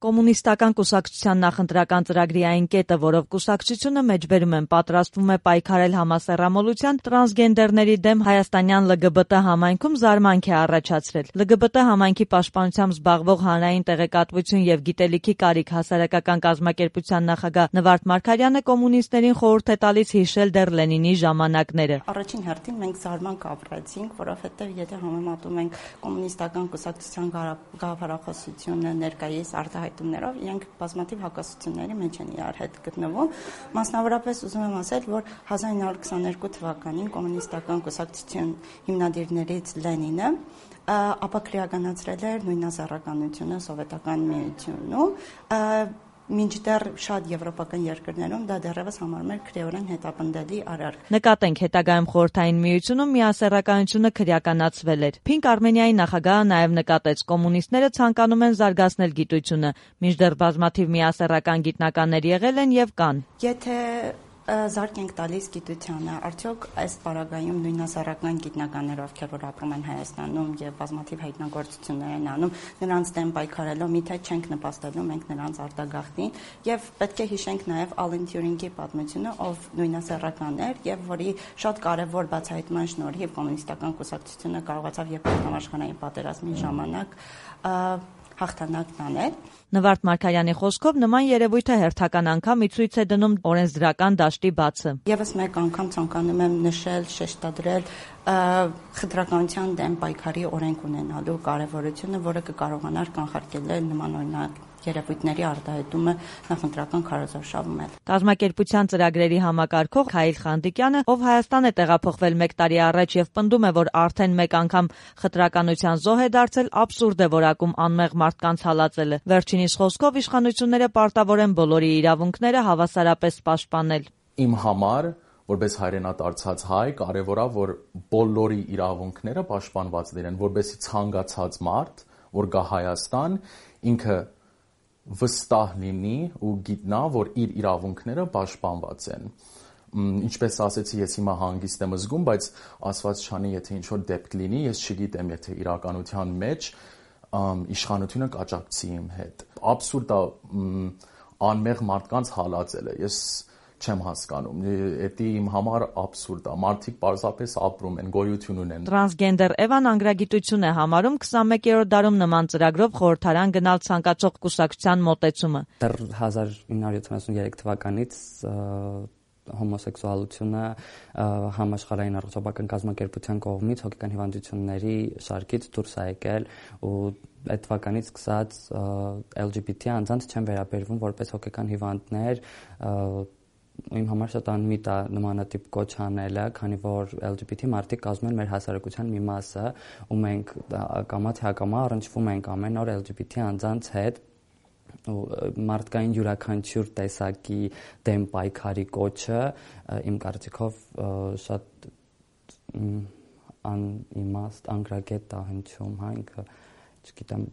Կոմունիստական կուսակցության նախընտրական ծրագրի այն կետը, որով կուսակցությունը մեջբերում են պատրաստվում է պայքարել համասեռամոլության, տրանսգենդերների դեմ հայաստանյան ԼԳԲՏ համայնքում զարմանք է առաջացրել։ ԼԳԲՏ համայնքի պաշտպանությամբ զբաղվող Հանրային տեղեկատվություն եւ գիտելիքի կարիք հասարակական կազմակերպության նախագահ Նվարդ Մարգարյանը կոմունիստներին խորհուրդ է տալիս հիշել դեռ Լենինի ժամանակները։ Առաջին հերթին մենք զարմանք ապրեցինք, որովհետեւ եթե համեմատում ենք կոմունիստական կուսակցության գաղափարախոսությունը ներկայիս արտահայտումներով, իրենք բազմաթիվ հակասությունների մեջ են իրար հետ գտնվում։ Մասնավորապես ուզում եմ ասել, որ 1922 թվականին կոմունիստական կուսակցության հիմնադիրներից Լենինը ապաքրեականացրել էր նույնասեռականությունը սովետական միությունում, մինչդեռ շատ եվրոպական երկրներում դա դեռևս համարում էր քրեորեն հետապնդելի արարք։ Նկատենք հետագայում Խորհրդային Միությունում միասեռականությունը քրեականացվել էր։ Փինք Արմենիայի նախագահը նաև նկատեց, կոմունիստները ցանկանում են զարգացնել գիտությունը, մինչդեռ բազմաթիվ միասեռական գիտնականներ եղել են եւ կան։ Եթե զարկ ենք տալիս գիտությանը, արդյոք այս պարագայում նույնասեռական գիտնականներ, ովքեր որ ապրում են Հայաստանում եւ բազմաթիվ հայտնագործություններ են անում, նրանց դեմ պայքարելով միթե չենք նպաստելու մենք նրանց արտագաղթին եւ պետք է հիշենք նաեւ Ալեն Թյուրինգի պատմությունը, ով նույնասեռական էր եւ որի շատ կարեւոր բացահայտման շնորհիվ կոմունիստական կուսակցությունը կարողացավ երկրորդ համաշխարհային պատերազմի ժամանակ հաղթանակ տանել։ Նվարդ Մարգարյանի խոսքով նման երևույթը հերթական անգամ ի ցույց է դնում օրենսդրական դաշտի բացը։ Եվս մեկ անգամ ցանկանում եմ նշել, շեշտադրել խտրականության դեմ պայքարի օրենք ունենալու կարևորությունը, որը կկարողանար կանխարգելել նման օրինակ երևույթների արտահայտումը նախընտրական քարոզարշավում է։ Կազմակերպության ծրագրերի համակարգող Քայլ Խանդիկյանը, ով Հայաստան է տեղափոխվել 1 տարի առաջ եւ պնդում է, որ արդեն մեկ անգամ խտրականության զոհ է դարձել, աբսուրդ է որակում անմեղ մարդկանց հալածելը։ Վերջինիս խոսքով իշխանությունները պարտավոր են բոլորի իրավունքները հավասարապես պաշտպանել։ Իմ համար, որպես հայրենադարձած հայ, կարևոր է, որ բոլորի իրավունքները պաշտպանված լինեն, որպեսզի ցանկացած մարդ, որ գա Հայաստան, ինքը վստահ լինի ու գիտնա, որ իր իրավունքները պաշտպանված են։ Ինչպես ասեցի, ես հիմա հանգիստ եմ զգում, բայց ասված չանի, եթե ինչ-որ դեպք լինի, ես չգիտեմ, եթե իրականության մեջ իշխանությունը կաջակցի իմ հետ։ Աբսուրդ է անմեղ մարդկանց հալածելը։ Ես չեմ հասկանում, դա իմ համար աբսուրդ է։ Մարդիկ պարզապես ապրում են, գոյություն ունեն։ Տրանսգենդեր Էվան անգրագիտություն է համարում 21-րդ դարում նման ծրագրով խորհրդարան գնալ ցանկացող կուսակցության մոտեցումը։ Դեռ 1973 թվականից հոմոսեքսուալությունը համաշխարհային առողջապահական կազմակերպության կողմից հոգեկան հիվանդությունների շարքից դուրս է եկել ու այդ թվականից սկսած LGBT անձանց չեն վերաբերվում որպես հոգեկան հիվանդներ, իմ համար շատ անմիտ է նմանատիպ կոչ անելը, քանի որ LGBT մարդիկ կազմում են մեր հասարակության մի մասը ու մենք կամաց հակամա առնչվում ենք ամեն օր LGBT անձանց հետ ու մարդկային յուրաքանչյուր տեսակի դեմ պայքարի կոչը իմ կարծիքով շատ անիմաստ անգրագետ է հնչում, հա, ինքը չգիտեմ,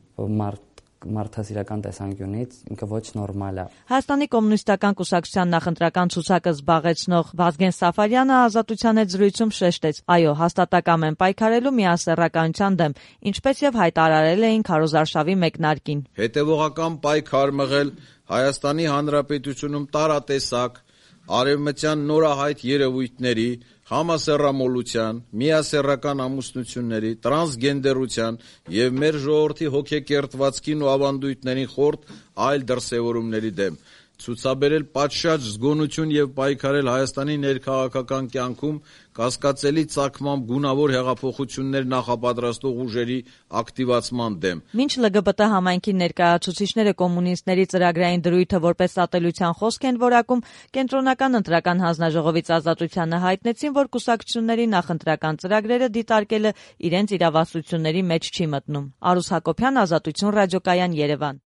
մարդասիրական տեսանկյունից ինքը ոչ նորմալ է։ Հայաստանի կոմունիստական կուսակցության նախընտրական ցուցակը զբաղեցնող Վազգեն Սաֆարյանը Ազատության հետ զրույցում շեշտեց. այո, հաստատակամ են պայքարելու միասեռականության դեմ, ինչպես եւ հայտարարել էին քարոզարշավի մեկնարկին։ Հետևողական պայքար մղել Հայաստանի Հանրապետությունում տարատեսակ արևմտյան նորահայտ երևույթների, համասեռամոլության, միասեռական ամուսնությունների, տրանսգենդերության եւ մեր ժողովրդի հոգեկերտվածքին ու ավանդույթներին խորտ այլ դրսևորումների դեմ, ցուցաբերել պատշաճ զգոնություն եւ պայքարել Հայաստանի ներքաղաքական կյանքում կասկածելի ծագմամբ գունավոր հեղափոխություններ նախապատրաստող ուժերի ակտիվացման դեմ։ Մինչ ԼԳԲՏ համայնքի ներկայացուցիչները կոմունիստների ծրագրային դրույթը որպես ատելության խոսք են որակում, կենտրոնական ընտրական հանձնաժողովից Ազատությանը հայտնեցին, որ կուսակցությունների նախընտրական ծրագրերը դիտարկելը իրենց իրավասությունների մեջ չի մտնում։ Արուս Հակոբյան, Ազատություն ռադիոկայան, Երևան։